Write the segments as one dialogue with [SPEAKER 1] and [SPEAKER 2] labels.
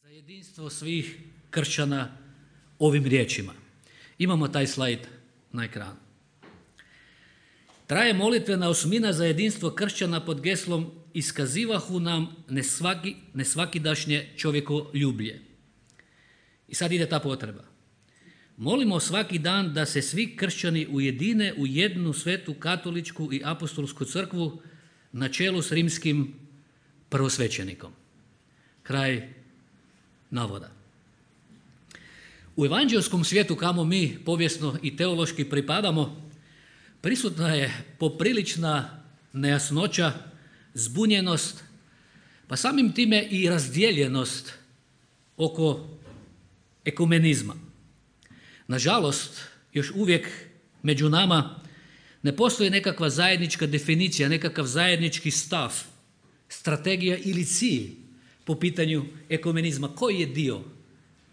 [SPEAKER 1] za jedinstvo svih kršćana ovim riječima. Imamo taj slajd na ekranu. Traje molitvena osmina za jedinstvo kršćana pod geslom iskazivahu nam nesvakidašnje čovjekoljublje. I sad ide ta potreba. Molimo svaki dan da se svi kršćani ujedine u jednu svetu katoličku i apostolsku crkvu na čelu s rimskim prvosvećenikom. Kraj navoda. U evanđelskom svijetu kamo mi povijesno i teološki pripadamo, prisutna je poprilična nejasnoća, zbunjenost, pa samim time i razdijeljenost oko ekumenizma. Nažalost, još uvijek među nama ne postoji nekakva zajednička definicija, nekakav zajednički stav, strategija ili cilj po pitanju ekumenizma. Koji je dio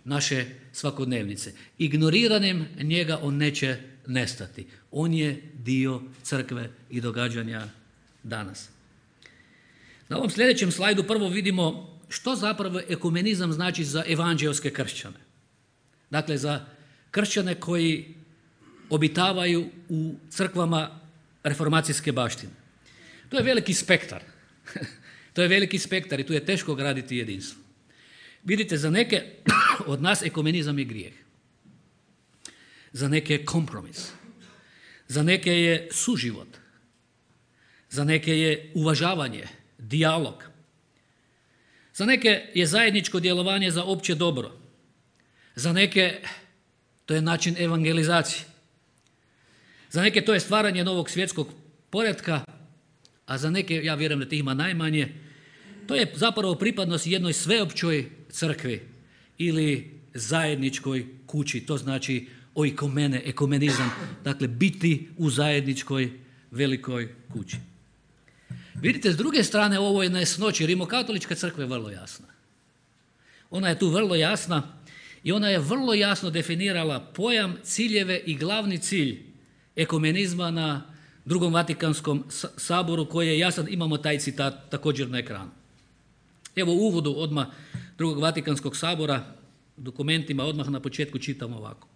[SPEAKER 1] naše svakodnevnice? Ignoriranjem njega on neće nestati. On je dio crkve i događanja danas. Na ovom sljedećem slajdu prvo vidimo što zapravo ekumenizam znači za evanđelske kršćane. Dakle, za kršćane koji obitavaju u crkvama reformacijske baštine. To je veliki spektar. To je veliki spektar i tu je teško graditi jedinstvo. Vidite, za neke od nas ekumenizam je grijeh. Za neke je kompromis. Za neke je suživot. Za neke je uvažavanje, dijalog. Za neke je zajedničko djelovanje za opće dobro. Za neke to je način evangelizacije. Za neke to je stvaranje novog svjetskog poretka, a za neke, ja vjerujem da tih ima najmanje, to je zapravo pripadnost jednoj sveopćoj crkvi ili zajedničkoj kući. To znači oikomene, ekumenizam, dakle biti u zajedničkoj velikoj kući. Vidite, s druge strane ovo je nejasnoće. Rimokatolička crkva je vrlo jasna. Ona je tu vrlo jasna i ona je vrlo jasno definirala pojam, ciljeve i glavni cilj ekumenizma na Drugom Vatikanskom saboru koji je jasan. Imamo taj citat također na ekranu. Evo u uvodu odmah Drugog Vatikanskog sabora, dokumentima odmah na početku čitamo ovako.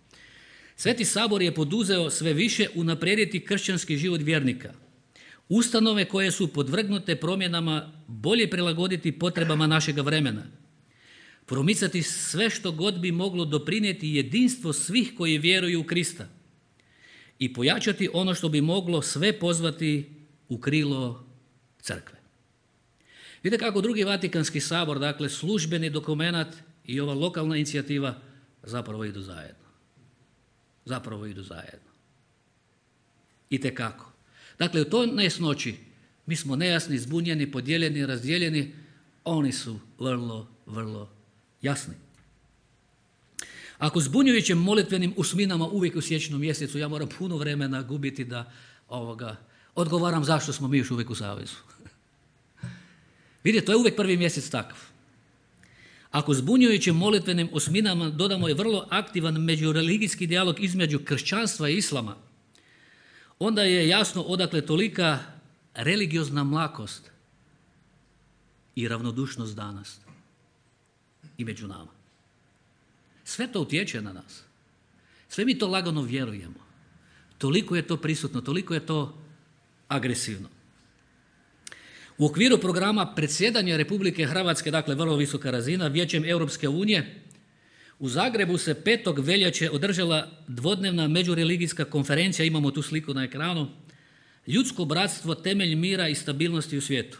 [SPEAKER 1] Sveti sabor je poduzeo sve više unaprijediti kršćanski život vjernika. Ustanove koje su podvrgnute promjenama bolje prilagoditi potrebama našega vremena. Promicati sve što god bi moglo doprinijeti jedinstvo svih koji vjeruju u Krista. I pojačati ono što bi moglo sve pozvati u krilo crkve. Vidite kako Drugi Vatikanski sabor, dakle službeni dokumenat i ova lokalna inicijativa zapravo idu zajedno. Zapravo idu zajedno. Itekako. Dakle, u toj nejasnoći mi smo nejasni, zbunjeni, podijeljeni, razdijeljeni. Oni su vrlo, vrlo jasni. Ako zbunjujućim molitvenim usminama uvijek u siječnju mjesecu ja moram puno vremena gubiti da odgovaram zašto smo mi još uvijek u savezu. Vidite, to je uvijek prvi mjesec takav. Ako zbunjujućim molitvenim usminama dodamo i vrlo aktivan međureligijski dijalog između kršćanstva i islama, onda je jasno odakle tolika religiozna mlakost i ravnodušnost danas i među nama. Sve to utječe na nas. Sve mi to lagano vjerujemo. Toliko je to prisutno, toliko je to agresivno. U okviru programa predsjedanja Republike Hrvatske, dakle vrlo visoka razina, Vijećem Europske unije, u Zagrebu se 5. veljače održala dvodnevna međureligijska konferencija, imamo tu sliku na ekranu, Ljudsko bratstvo, temelj mira i stabilnosti u svijetu.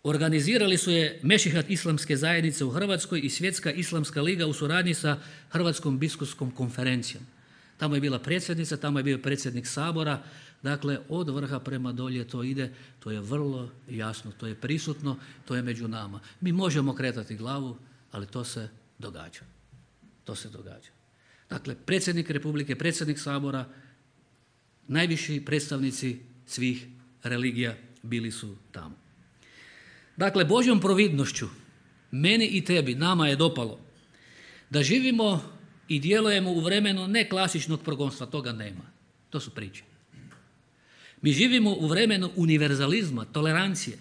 [SPEAKER 1] Organizirali su je Mešihat islamske zajednice u Hrvatskoj i Svjetska islamska liga u suradnji sa Hrvatskom biskupskom konferencijom. Tamo je bila predsjednica, tamo je bio predsjednik sabora, dakle od vrha prema dolje to ide, to je vrlo jasno, to je prisutno, to je među nama. Mi možemo kretati glavu, ali to se događa. To se događa. Dakle, predsjednik Republike, predsjednik sabora, najviši predstavnici svih religija bili su tamo. Dakle, Božjom providnošću, meni i tebi, nama je dopalo da živimo i djelujemo u vremenu ne klasičnog progonstva, toga nema. To su priče. Mi živimo u vremenu univerzalizma, tolerancije,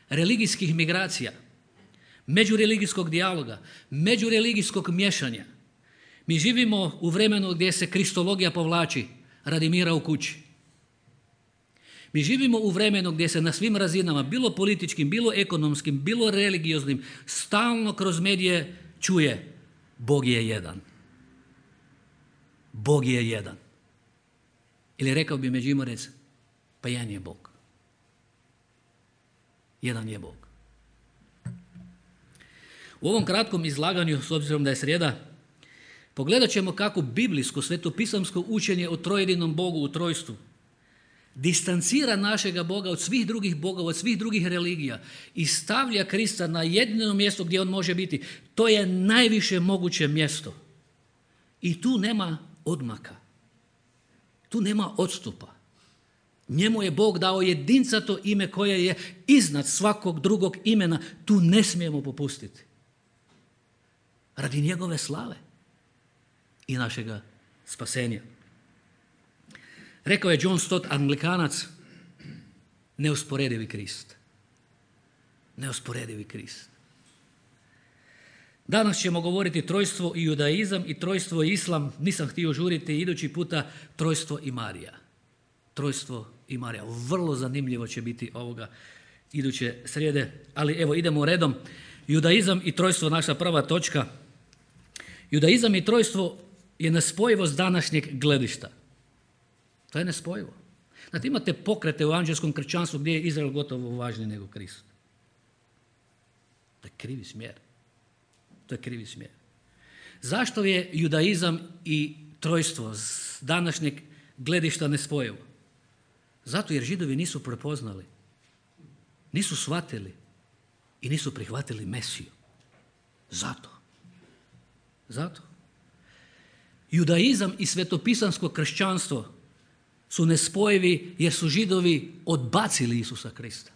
[SPEAKER 1] religijskih migracija, međureligijskog dijaloga, međureligijskog miješanja. Mi živimo u vremenu gdje se kristologija povlači radi mira u kući. Mi živimo u vremenu gdje se na svim razinama, bilo političkim, bilo ekonomskim, bilo religioznim, stalno kroz medije čuje Bog je jedan. Bog je jedan. Ili rekao bi Međimurec, pa jedan je Bog. Jedan je Bog. U ovom kratkom izlaganju, s obzirom da je srijeda, pogledat ćemo kako biblijsko, svetopisamsko učenje o trojedinom Bogu u trojstvu distancira našega Boga od svih drugih bogova, od svih drugih religija i stavlja Krista na jedino mjesto gdje on može biti. To je najviše moguće mjesto. I tu nema odmaka. Tu nema odstupa. Njemu je Bog dao jedincato ime koje je iznad svakog drugog imena. Tu ne smijemo popustiti. Radi njegove slave i našega spasenja. Rekao je John Stott, Anglikanac, neusporedivi Krist. Neusporedivi Krist. Danas ćemo govoriti trojstvo i judaizam i trojstvo i islam. Nisam htio žuriti, idući puta trojstvo i Marija. Trojstvo i Marija. Vrlo zanimljivo će biti ovoga iduće srijede. Ali evo idemo redom. Judaizam i trojstvo, naša prva točka. Judaizam i trojstvo je nespojivost današnjeg gledišta. To je nespojivo. Znate, imate pokrete u anđelskom kršćanstvu gdje je Izrael gotovo važniji nego Krist. To je krivi smjer. To je krivi smjer. Zašto je judaizam i trojstvo s današnjeg gledišta nespojivo? Zato jer Židovi nisu prepoznali, nisu shvatili i nisu prihvatili Mesiju. Zato. Judaizam i svetopisansko kršćanstvo su nespojivi jer su Židovi odbacili Isusa Krista.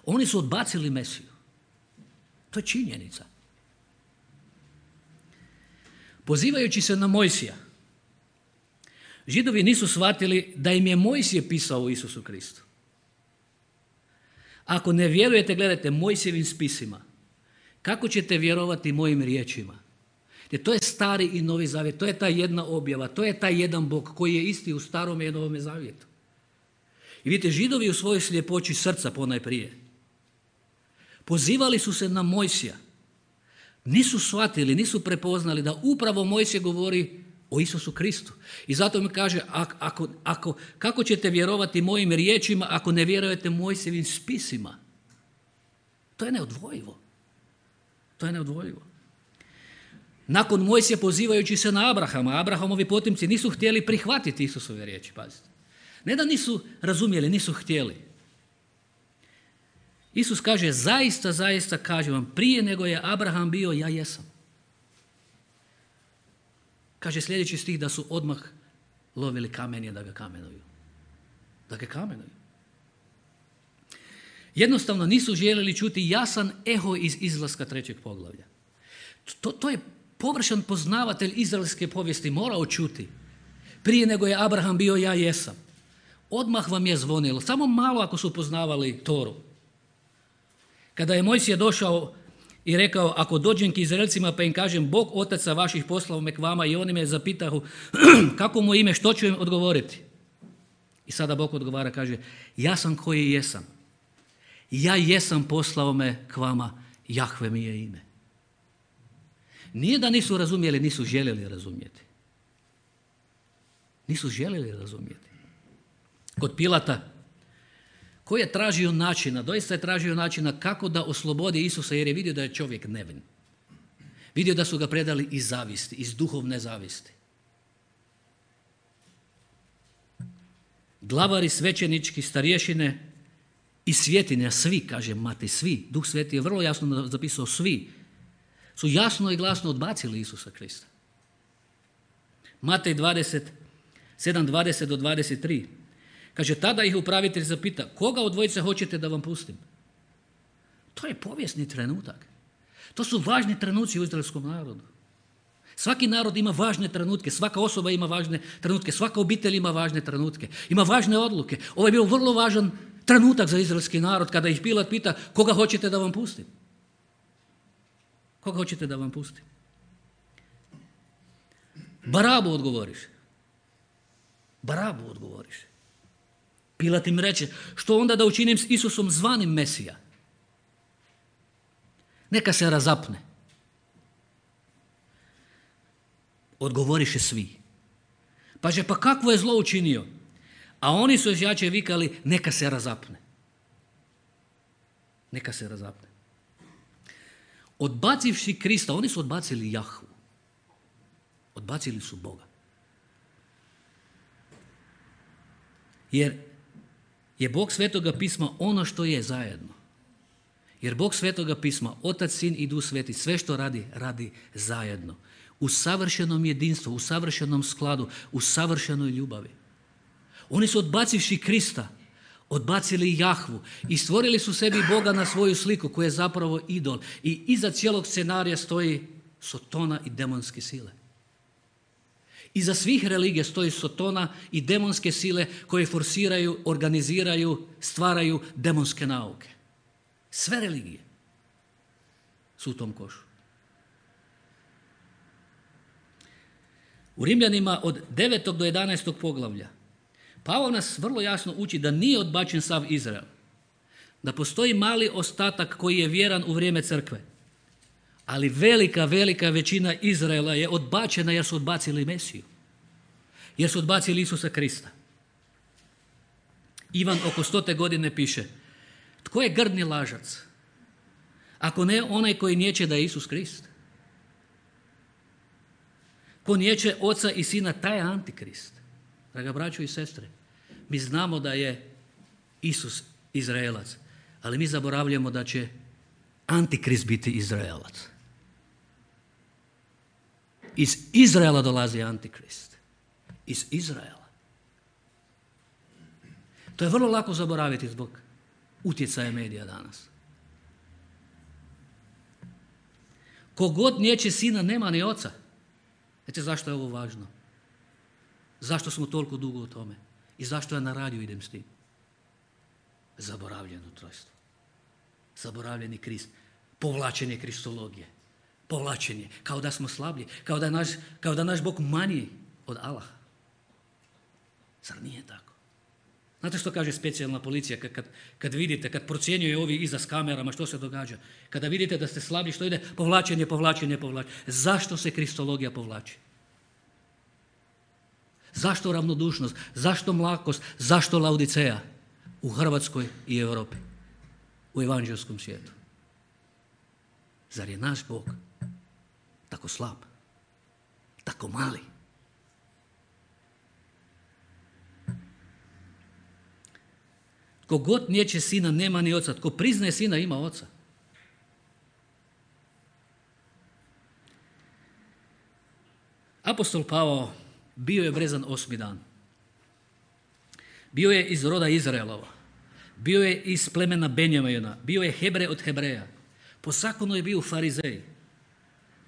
[SPEAKER 1] Oni su odbacili Mesiju. To je činjenica. Pozivajući se na Mojsija, Židovi nisu shvatili da im je Mojsije pisao o Isusu Kristu. Ako ne vjerujete, gledajte Mojsijevim spisima, kako ćete vjerovati mojim riječima? Jer to je Stari i Novi Zavjet, to je ta jedna objava, to je taj jedan Bog koji je isti u Starome i Novome Zavjetu. I vidite, Židovi u svojoj sljepoći srca ponajprije pozivali su se na Mojsija. Nisu shvatili, nisu prepoznali da upravo Mojsije govori o Isusu Kristu. I zato mi kaže, kako ćete vjerovati mojim riječima ako ne vjerujete Mojsijevim spisima? To je neodvojivo. Nakon Mojsija, pozivajući se na Abrahama, Abrahamovi potomci nisu htjeli prihvatiti Isusove riječi, pazite. Ne da nisu razumjeli, nisu htjeli. Isus kaže, zaista kažem vam, prije nego je Abraham bio, ja jesam. Kaže sljedeći stih da su odmah lovili kamenje da ga kamenuju. Jednostavno nisu željeli čuti jasan eho iz Izlaska 3. poglavlja. To je površan poznavatelj izraelske povijesti morao čuti. Prije nego je Abraham bio, ja jesam. Odmah vam je zvonilo, samo malo ako su poznavali Toru. Kada je Mojsije došao i rekao, ako dođem k Izraelcima pa im kažem, Bog otaca vaših poslao me k vama, i oni me zapitahu, kako mu ime, što ću im odgovoriti? I sada Bog odgovara, kaže, ja sam koji jesam. Ja jesam poslao me k vama, Jahve mi je ime. Nije da nisu razumjeli, nisu željeli razumjeti. Kod Pilata, koji je tražio načina, doista je tražio načina kako da oslobodi Isusa, jer je vidio da je čovjek nevin. Vidio da su ga predali iz zavisti, iz duhovne zavisti. Glavari svećenički, starješine i svjetinja, svi, kaže Matej, svi, Duh Sveti je vrlo jasno zapisao, svi, su jasno i glasno odbacili Isusa Krista. Matej 7:20-23. Kaže, tada ih upravitelj zapita, koga od dvojice hoćete da vam pustim? To je povijesni trenutak. To su važni trenuci u izraelskom narodu. Svaki narod ima važne trenutke, svaka osoba ima važne trenutke, svaka obitelj ima važne trenutke, ima važne odluke. Ovo je bio vrlo važan trenutak za izraelski narod kada ih Pilat pita, koga hoćete da vam pustim? Koga hoćete da vam pustim? Barabu odgovoriš. Barabu odgovoriš. Pilat im reče, što onda da učinim s Isusom zvanim Mesija? Neka se razapne. Odgovoriše svi. Paže, pa kakvo je zlo učinio? A oni su još jače vikali, neka se razapne. Neka se razapne. Odbacivši Krista, oni su odbacili Jahvu. Odbacili su Boga. Jer je Bog Svetoga pisma ono što je zajedno. Jer Bog Svetoga pisma, Otac, Sin i Duh Sveti, sve što radi, radi zajedno. U savršenom jedinstvu, u savršenom skladu, u savršenoj ljubavi. Oni su odbacivši Krista, odbacili Jahvu i stvorili su sebi Boga na svoju sliku koja je zapravo idol. I iza cijelog scenarija stoji Sotona i demonske sile. Iza svih religija stoji Sotona i demonske sile koje forsiraju, organiziraju, stvaraju demonske nauke. Sve religije su u tom košu. U Rimljanima od 9. do 11. poglavlja Pavao nas vrlo jasno uči da nije odbačen sav Izrael. Da postoji mali ostatak koji je vjeran u vrijeme crkve. Ali velika većina Izraela je odbačena jer su odbacili Mesiju. Jer su odbacili Isusa Krista. Ivan oko 100. godine piše, tko je grdni lažac? Ako ne onaj koji niječe da je Isus Krist. Ko niječe Oca i Sina, taj je Antikrist. Draga braćo i sestre, mi znamo da je Isus Izraelac, ali mi zaboravljamo da će Antikrist biti Izraelac. Iz Izraela dolazi Antikrist. Iz Izraela. To je vrlo lako zaboraviti zbog utjecaja medija danas. Kogod niječe Sina, nema ni Oca. Znate zašto je ovo važno? Zašto smo toliko dugo u tome? I zašto ja na radiju idem s tim? Zaboravljeno trojstvo. Zaboravljeni Krist. Povlačenje kristologije. Povlačenje. Kao da smo slablji. Kao da naš Bog manji od Allaha. Zar nije tako? Znate što kaže specijalna policija kad vidite, kad procjenjuje ovi iza s kamerama što se događa? Kada vidite da ste slabi, što ide? Povlačenje. Zašto se kristologija povlači? Zašto ravnodušnost? Zašto mlakost? Zašto Laodiceja u Hrvatskoj i Europi? U evanđelskom svijetu? Zar je naš Bog tako slab? Tako mali? Tko god niječe Sina, nema ni Oca. Tko priznaje Sina, ima Oca. Apostol Pavao bio je brezan 8. dan. Bio je iz roda Izraelova. Bio je iz plemena Benjamina. Bio je Hebrej od Hebreja. Po zakonu je bio farizej.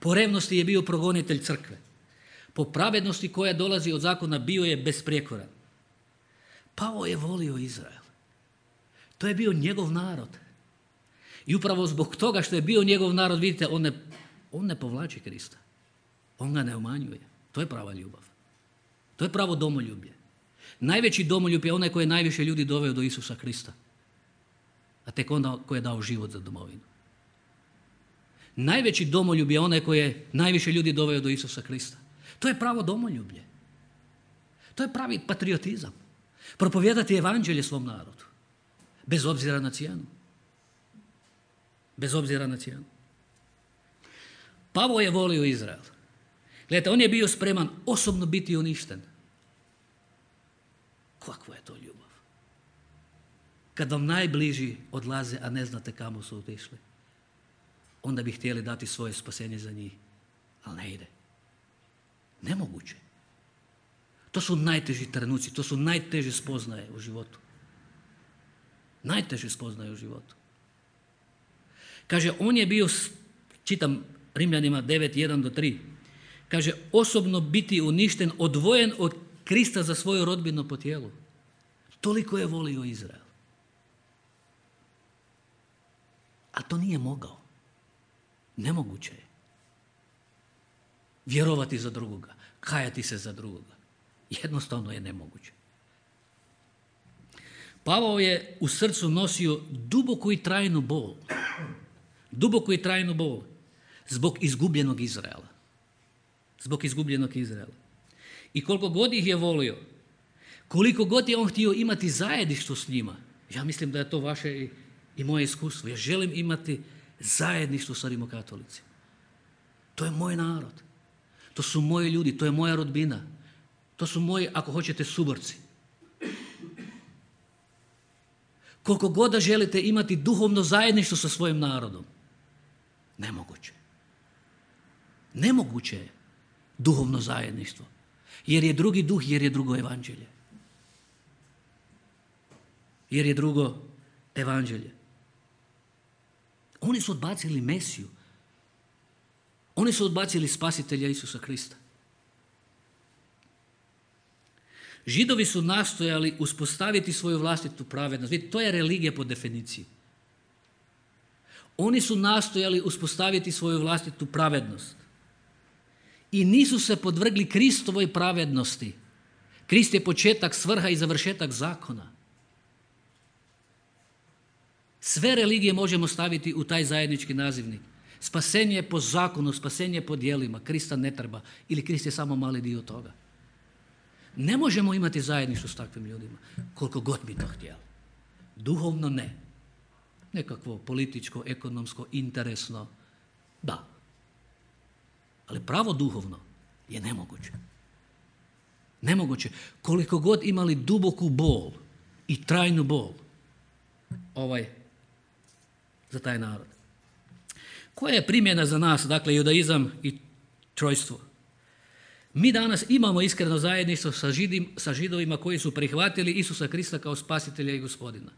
[SPEAKER 1] Po revnosti je bio progonitelj crkve. Po pravednosti koja dolazi od zakona bio je besprijekoran. Pavao je volio Izrael. To je bio njegov narod. I upravo zbog toga što je bio njegov narod, vidite, on ne povlači Krista. On ga ne umanjuje. To je prava ljubav. To je pravo domoljublje. Najveći domoljub je onaj koji je najviše ljudi doveo do Isusa Krista. A tek onda koji je dao život za domovinu. Najveći domoljub je onaj koji je najviše ljudi doveo do Isusa Krista. To je pravo domoljublje. To je pravi patriotizam. Propovijedati evanđelje svom narodu. Bez obzira na cijenu. Bez obzira na cijenu. Pavao je volio Izrael. Gledajte, on je bio spreman osobno biti uništen. Kakva je to ljubav? Kad vam najbliži odlaze, a ne znate kamo su otišli, onda bi htjeli dati svoje spasenje za njih. Ali ne ide. Nemoguće. To su najteži trenuci, to su najteže spoznaje u životu. Najteže spoznaje u životu. Kaže, on je bio, čitam Rimljanima 9:1-3, kaže, osobno biti uništen, odvojen od Krista za svoju rodbinu po tijelu. Toliko je volio Izrael. A to nije mogao. Nemoguće je. vjerovati za drugoga, kajati se za drugoga. Jednostavno je nemoguće. Pavao je u srcu nosio duboku i trajnu bol. Duboku i trajnu bol zbog izgubljenog Izraela. Zbog izgubljenog Izraela. I koliko god ih je volio, koliko god je on htio imati zajedništvo s njima, ja mislim da je to vaše i moje iskustvo. Ja želim imati zajedništvo sa rimokatolicima. To je moj narod. To su moji ljudi, to je moja rodbina. To su moji, ako hoćete, suborci. Koliko god da želite imati duhovno zajedništvo sa svojim narodom, nemoguće. Nemoguće je duhovno zajedništvo. Jer je drugi duh, jer je drugo evanđelje. Jer je drugo evanđelje. Oni su odbacili Mesiju. Oni su odbacili spasitelja Isusa Krista. Židovi su nastojali uspostaviti svoju vlastitu pravednost. Vidite, to je religija po definiciji. Oni su nastojali uspostaviti svoju vlastitu pravednost. I nisu se podvrgli Kristovoj pravednosti. Krist je početak, svrha i završetak zakona. Sve religije možemo staviti u taj zajednički nazivnik. Spasenje je po zakonu, spasenje je po djelima. Krista ne treba. Ili Krist je samo mali dio toga. Ne možemo imati zajedništvo s takvim ljudima, koliko god bi to htjeli. Duhovno ne. Nekakvo političko, ekonomsko, interesno, da. Ali pravo duhovno je nemoguće. Nemoguće. Koliko god imali duboku bol i trajnu bol za taj narod. Koja je primjena za nas, dakle, judaizam i trojstvo? Mi danas imamo iskreno zajedništvo sa Židovima koji su prihvatili Isusa Krista kao spasitelja i gospodina.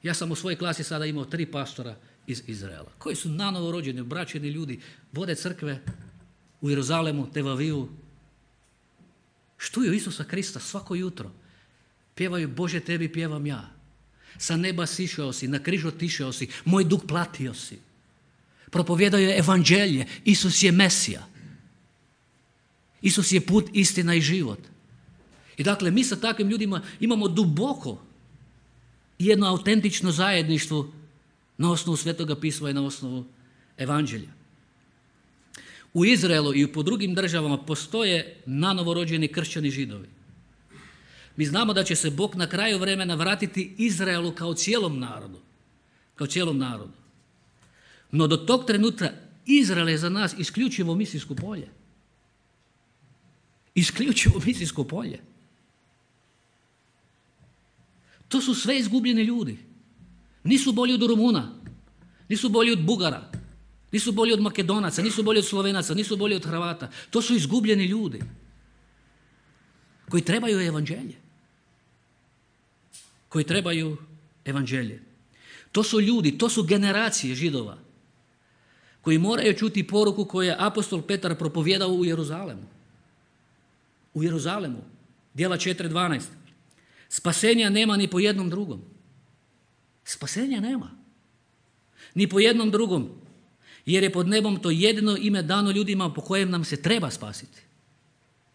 [SPEAKER 1] Ja sam u svojoj klasi sada imao 3 pastora iz Izraela, koji su nanovo rođeni, obraćeni ljudi, vode crkve u Jeruzalemu, Tel Avivu. Štuju Isusa Krista svako jutro. Pjevaju Bože, tebi pjevam ja. Sa neba sišao si, na križu otišao si, moj dug platio si. Propovjedaju evanđelje, Isus je Mesija. Isus je put, istina i život. I dakle, mi sa takvim ljudima imamo duboko jedno autentično zajedništvo na osnovu Svetoga pisma i na osnovu evanđelja. U Izraelu i po drugim državama postoje nanovorođeni kršćani Židovi. Mi znamo da će se Bog na kraju vremena vratiti Izraelu kao cijelom narodu. Kao cijelom narodu. No do tog trenutka Izrael je za nas isključivo misijsko polje. Isključivo misijsko polje. To su sve izgubljeni ljudi. Nisu bolji od Rumuna, nisu bolji od Bugara, nisu bolji od Makedonaca, nisu bolji od Slovenaca, nisu bolji od Hrvata. To su izgubljeni ljudi koji trebaju evanđelje. Koji trebaju evanđelje. To su ljudi, to su generacije Židova koji moraju čuti poruku koju je apostol Petar propovjedao u Jeruzalemu. U Jeruzalemu. Djela 4.12. Spasenja nema ni po jednom drugom. Spasenja nema. Ni po jednom drugom. Jer je pod nebom to jedino ime dano ljudima po kojem nam se treba spasiti.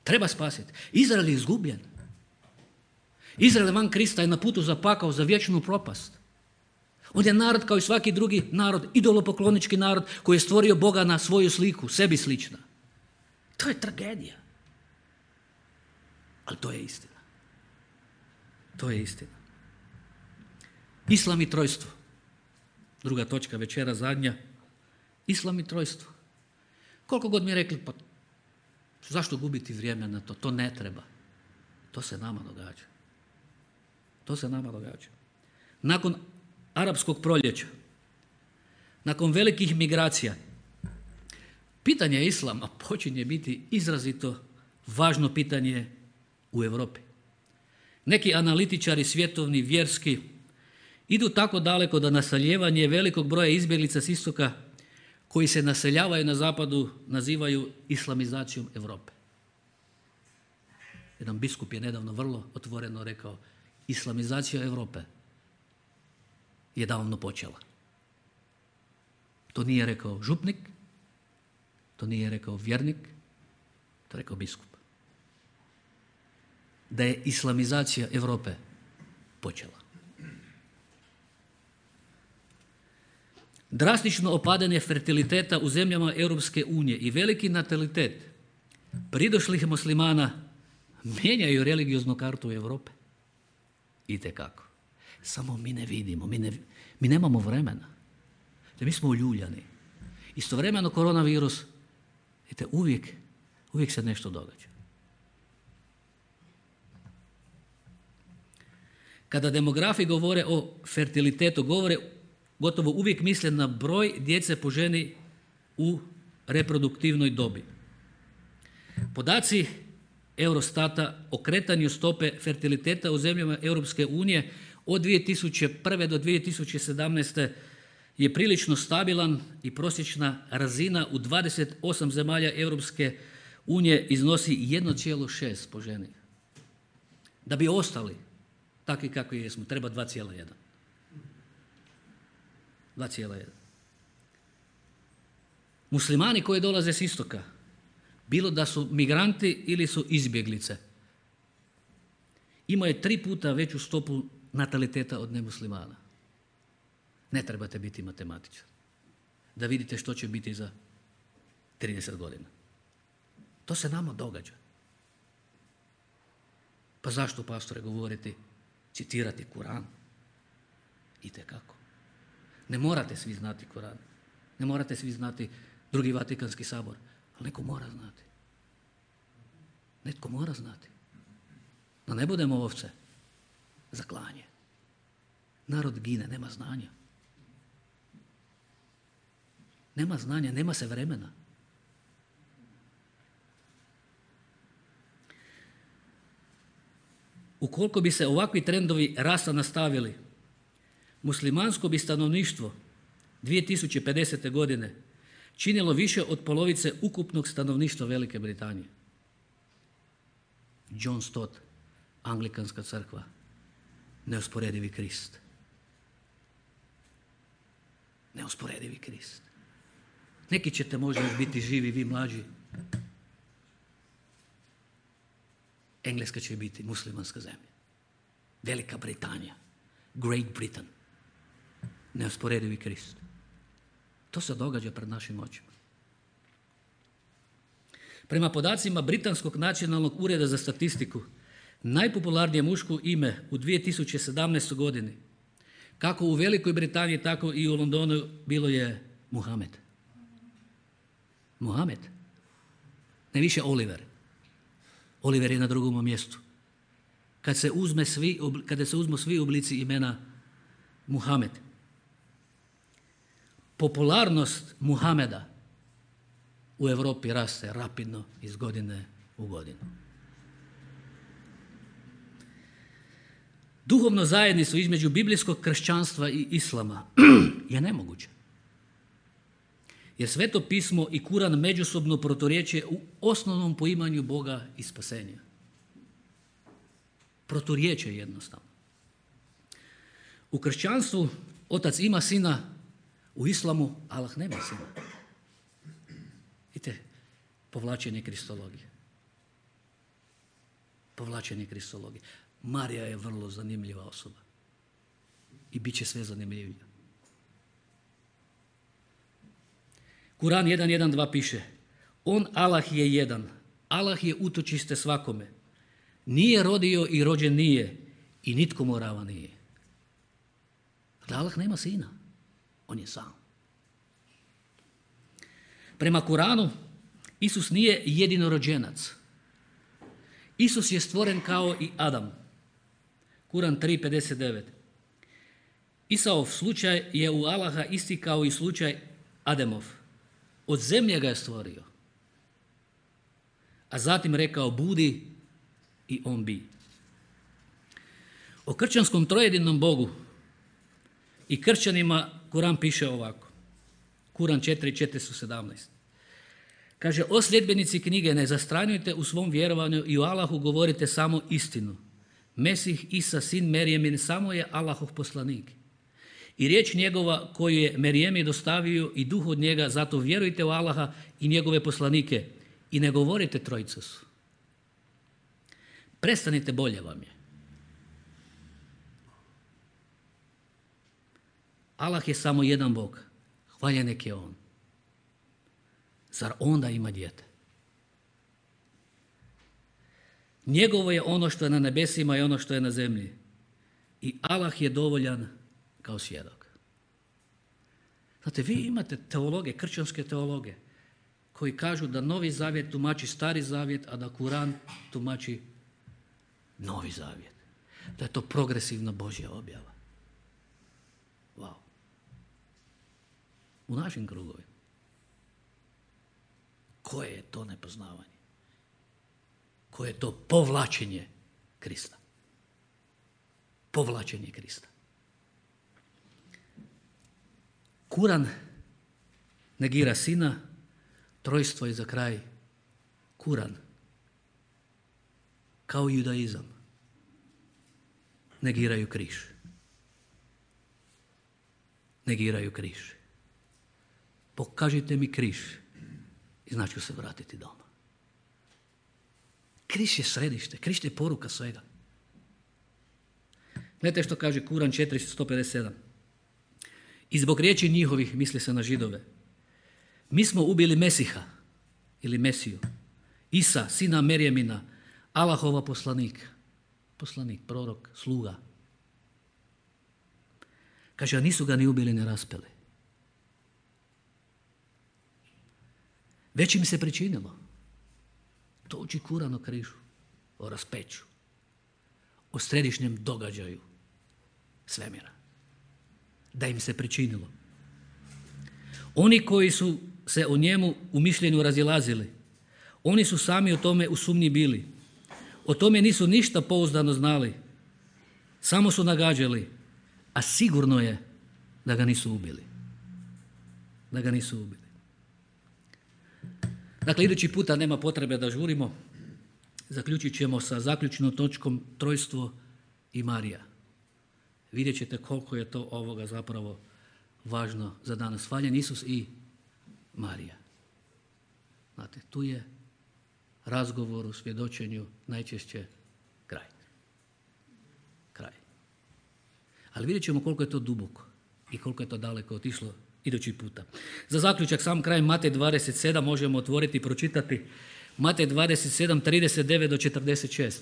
[SPEAKER 1] Treba spasiti. Izrael je izgubljen. Izrael van Krista je na putu za pakao, za vječnu propast. On je narod kao i svaki drugi narod, idolopoklonički narod koji je stvorio Boga na svoju sliku, sebi slična. To je tragedija. Ali to je istina. To je istina. Islam i trojstvo. Druga točka večera, zadnja. Islam i trojstvo. Koliko god mi rekli, pa zašto gubiti vrijeme na to? To ne treba. To se nama događa. To se nama događa. Nakon arapskog proljeća, nakon velikih migracija, pitanje islama počinje biti izrazito važno pitanje u Europi. Neki analitičari svjetovni, vjerski, idu tako daleko da naseljevanje velikog broja izbjeglica s istoka koji se naseljavaju na zapadu nazivaju islamizacijom Europe. Jedan biskup je nedavno vrlo otvoreno rekao, islamizacija Europe je davno počela. To nije rekao župnik, to nije rekao vjernik, To je rekao biskup. Da je islamizacija Europe počela. Drastično opadanje fertiliteta u zemljama Europske unije i veliki natalitet pridošlih muslimana mijenjaju religioznu kartu Europe. Itekako. Samo mi ne vidimo, mi nemamo vremena. Mi smo uljuljani. Istovremeno koronavirus, vidite, uvijek se nešto događa. Kada demografi govore o fertilitetu, govore gotovo uvijek misle na broj djece po ženi u reproduktivnoj dobi. Podaci Eurostata o kretanju stope fertiliteta u zemljama Europske unije od 2001. do 2017. je prilično stabilan i prosječna razina u 28 zemalja Europske unije iznosi 1,6 po ženi. Da bi ostali takvi kakvi jesmo, treba 2,1. 2,1. Muslimani koji dolaze s istoka, bilo da su migranti ili su izbjeglice, imaju 3 puta veću stopu nataliteta od nemuslimana. Ne trebate biti matematičar da vidite što će biti za 30 godina. To se nama događa. Pa zašto, pastore, govoriti, citirati Kuran? Itekako. Ne morate svi znati Kuran. Ne morate svi znati Drugi Vatikanski sabor. Ali neko mora znati. Netko mora znati. Da ne budemo ovce za klanje. Narod gine, nema znanja. Nema znanja, nema se vremena. Ukoliko bi se ovakvi trendovi rasta nastavili, muslimansko bi stanovništvo 2050. godine činilo više od polovice ukupnog stanovništva Velike Britanije. John Stott, Anglikanska crkva, neusporedivi Krist. Neusporedivi Krist. Neki ćete možda još biti živi, vi mlađi. Engleska će biti muslimanska zemlja. Velika Britanija. Great Britain. Neusporedivi Krist. To se događa pred našim očima. Prema podacima Britanskog nacionalnog ureda za statistiku, najpopularnije muško ime u 2017. godini, kako u Velikoj Britaniji, tako i u Londonu, bilo je Muhamed. Muhamed. Ne više Oliver. Oliver je na drugom mjestu. Kada se uzmu svi oblici imena Muhamed. Popularnost Muhameda u Europi raste rapidno iz godine u godinu. Duhovno zajedništvo između biblijskog kršćanstva i islama je nemoguće. Jer Sveto pismo i Kuran međusobno proturječe u osnovnom poimanju Boga i spasenja. Proturječe jednostavno. U kršćanstvu otac ima sina, u islamu Allah nema sina. Vidite, povlačenje kristologije. Povlačenje kristologije. Marija je vrlo zanimljiva osoba. I bit će sve zanimljivija. Kuran 1.1.2 piše: On, Allah, je jedan. Allah je utočište svakome. Nije rodio i rođen nije. I nitko mu rava nije. Dakle, Allah nema sina. On je sam. Prema Kuranu, Isus nije jedinorođenac. Isus je stvoren kao i Adam. Kuran 3.59. Isaov slučaj je u Allaha isti kao i slučaj Ademov. Od zemlje ga je stvorio. A zatim rekao budi i on bi. O kršćanskom trojedinom Bogu i kršćanima Kuran piše ovako. Kuran 4.417. Kaže, o sljedbenici knjige, ne zastranjujte u svom vjerovanju i u Allahu govorite samo istinu. Mesih Isa, sin Merijemin, samo je Allahov poslanik. I riječ njegova koju je Merijemi dostavio i duh od njega, zato vjerujte u Allaha i njegove poslanike i ne govorite trojica su. Prestanite, bolje vam je. Allah je samo jedan Bog. Hvaljen nek je On. Zar onda ima dijete? Njegovo je ono što je na nebesima i ono što je na zemlji. I Allah je dovoljan kao svjedok. Znate, vi imate teologe, kršćanske teologe, koji kažu da Novi Zavjet tumači Stari Zavjet, a da Kuran tumači Novi Zavjet. Da je to progresivna Božja objava. Wow. U našim krugovima. Koje je to nepoznavanje? Koje je to povlačenje Krista? Povlačenje Krista. Kuran negira Sina, trojstvo je za kraj Kuran. Kao judaizam. Negiraju križ. Negiraju križ. Pokažite mi križ i znači ću se vratiti doma. Križ je središte, križ je poruka svega. Gledajte što kaže Kuran 457. I zbog riječi njihovih, misli se na Židove, mi smo ubili Mesiha ili Mesiju, Isa, sina Merjemina, Allahova poslanik, prorok, sluga. Kaže, a nisu ga ni ubili ni raspeli. Već im se pričinilo. To uči Kuran o križu, o raspeću, o središnjem događaju svemira. Da im se pričinilo. Oni koji su se o njemu u mišljenju razilazili, oni su sami o tome u sumnji bili. O tome nisu ništa pouzdano znali. Samo su nagađali, a sigurno je da ga nisu ubili. Da ga nisu ubili. Dakle, idući puta nema potrebe da žurimo. Zaključit ćemo sa zaključnom točkom trojstvo i Marija. Vidjet ćete koliko je to ovoga zapravo važno za danas. Hvaljen Isus i Marija. Znate, tu je razgovor u svjedočenju najčešće kraj. Kraj. Ali vidjet ćemo koliko je to duboko i koliko je to daleko otišlo idući puta. Za zaključak, sam kraj Matej 27 možemo otvoriti i pročitati. Matej 27, 39 do 46.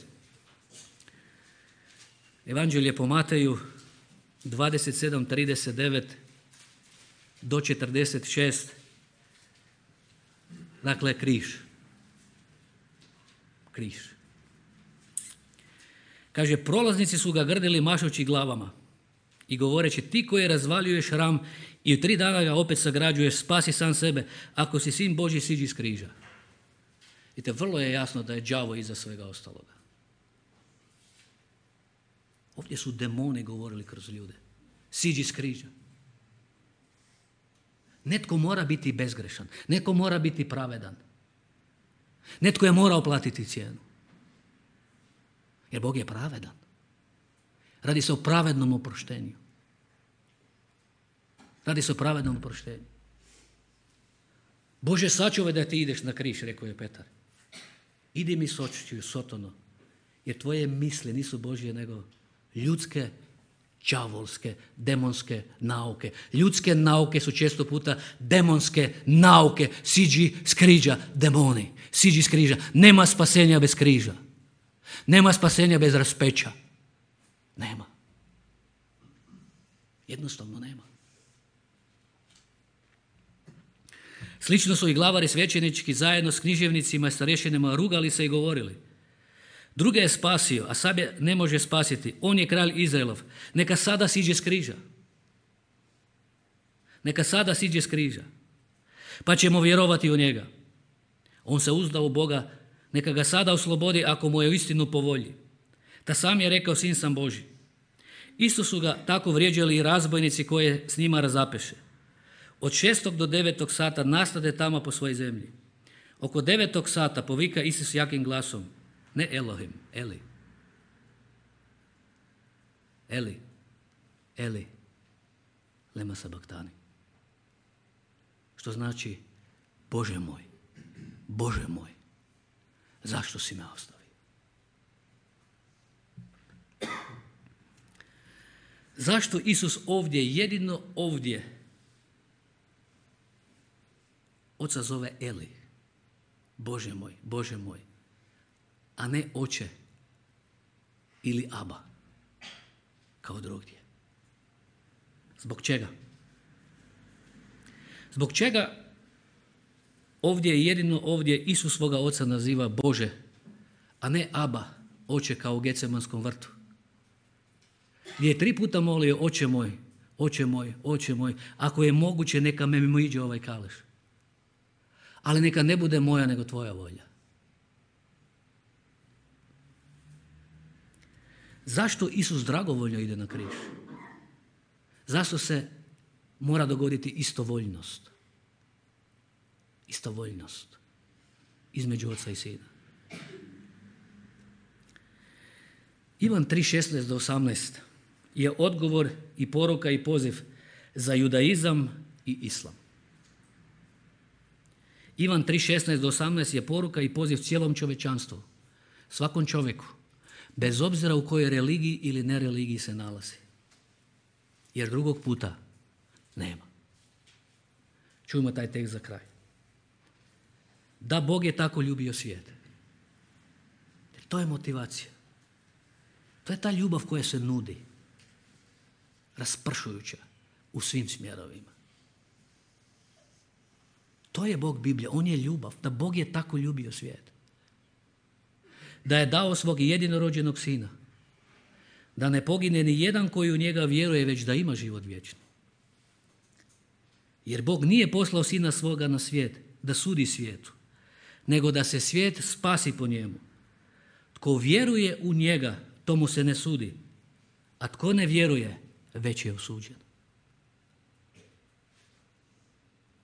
[SPEAKER 1] Evanđelje po Mateju 27, 39 do 46. Dakle, križ. Križ. Kaže, prolaznici su ga grdili mašući glavama i govoreći, ti koji razvaljuješ hram i u 3 dana ga opet sagrađuješ, spasi sam sebe, ako si sin Božji, siđi iz križa. Vidite, vrlo je jasno da je đavo iza svega ostaloga. Ovdje su demoni govorili kroz ljude. Siđi iz križa. Netko mora biti bezgrešan. Netko mora biti pravedan. Netko je morao platiti cijenu. Jer Bog je pravedan. Radi se o pravednom oproštenju. Radi se o pravednom oproštenju. Bože, sačuvaj da ti ideš na križ, rekao je Petar. Idi mi s očiju, Sotono, jer tvoje misli nisu Božje nego ljudske, đavolske, demonske nauke. Ljudske nauke su često puta demonske nauke. Siđi s križa, demoni. Siđi s križa. Nema spasenja bez križa. Nema spasenja bez raspeća. Nema. Jednostavno nema. Slično su i glavari svećenički zajedno s književnicima i starješinama rugali se i govorili. Druge je spasio, a sebe ne može spasiti. On je kralj Izraelov. Neka sada siđe s križa. Neka sada siđe s križa. Pa ćemo vjerovati u njega. On se uzda u Boga. Neka ga sada oslobodi ako mu je uistinu po volji. Ta sam je rekao, sin sam Božji. Isto su ga tako vrijeđali i razbojnici koje s njima razapeše. Od 6. do 9. sata nastade tamo po svojoj zemlji. Oko 9. sata povika Isus jakim glasom. Ne Elohim, Eli. Eli, Eli, lema sabaktani. Što znači, Bože moj, Bože moj, zašto si me ostavio? Zašto Isus ovdje, jedino ovdje, oca zove Eli, Bože moj, a ne oče ili Aba, kao drugdje? Zbog čega? Zbog čega ovdje, jedino ovdje, Isus svoga oca naziva Bože, a ne Aba, oče, kao u Gecemanskom vrtu? Gdje je 3 puta molio, oče moj, oče moj, oče moj, ako je moguće neka me mimo iđe ovaj kaleš. Ali neka ne bude moja nego tvoja volja. Zašto Isus dragovoljno ide na križ? Zašto se mora dogoditi istovoljnost? Istovoljnost između oca i sina. Ivan 3:16-18 je odgovor i poruka i poziv za judaizam i islam. Ivan 3:16-18 je poruka i poziv cijelom čovječanstvu, svakom čovjeku, bez obzira u kojoj religiji ili nereligiji se nalazi. Jer drugog puta nema. Čujmo taj tekst za kraj. Da, Bog je tako ljubio svijet. To je motivacija. To je ta ljubav koja se nudi, raspršujuća u svim smjerovima. To je Bog Biblije, on je ljubav, da Bog je tako ljubio svijet. Da je dao svog jedinorođenog sina, da ne pogine ni jedan koji u njega vjeruje, već da ima život vječni. Jer Bog nije poslao sina svoga na svijet da sudi svijetu, nego da se svijet spasi po njemu. Tko vjeruje u njega, tomu se ne sudi, a tko ne vjeruje, već je osuđen.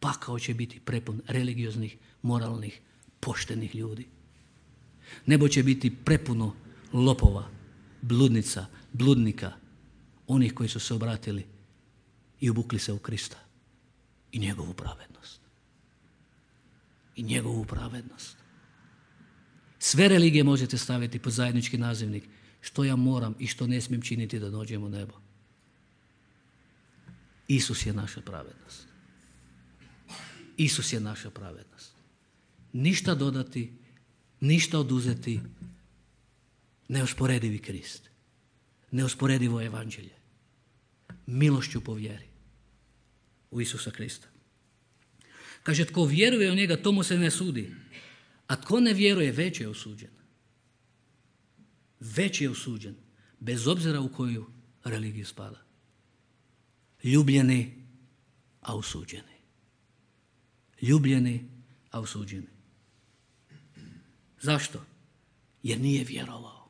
[SPEAKER 1] Pakao će biti prepun religioznih, moralnih, poštenih ljudi. Nebo će biti prepuno lopova, bludnica, bludnika, onih koji su se obratili i obukli se u Krista i njegovu pravednost. I njegovu pravednost. Sve religije možete staviti pod zajednički nazivnik što ja moram i što ne smijem činiti da dođem u nebo. Isus je naša pravednost. Isus je naša pravednost. Ništa dodati, ništa oduzeti, neusporedivi Krist, neusporedivo evanđelje, milošću po vjeri u Isusa Krista. Kaže, tko vjeruje u njega, tomu se ne sudi, a tko ne vjeruje, već je osuđen. Već je osuđen, bez obzira u koju religiju spada. Ljubljeni, a osuđeni. Ljubljeni, a osuđeni. Zašto? Jer nije vjerovao.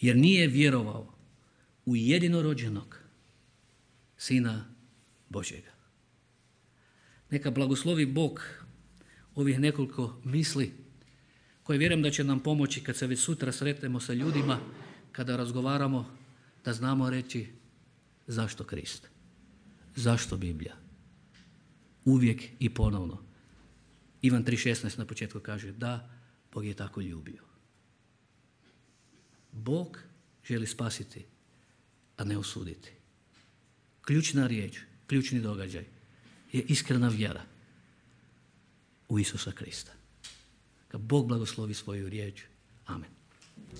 [SPEAKER 1] Jer nije vjerovao u jedinorođenog Sina Božjega. Neka blagoslovi Bog ovih nekoliko misli koje vjerujem da će nam pomoći kad se već sutra sretnemo sa ljudima, kada razgovaramo, da znamo reći zašto Krist, zašto Biblija. Uvijek i ponovno. Ivan 3:16 na početku kaže da, Bog je tako ljubio. Bog želi spasiti, a ne osuditi. Ključna riječ, ključni događaj je iskrena vjera u Isusa Krista. Kad Bog blagoslovi svoju riječ. Amen.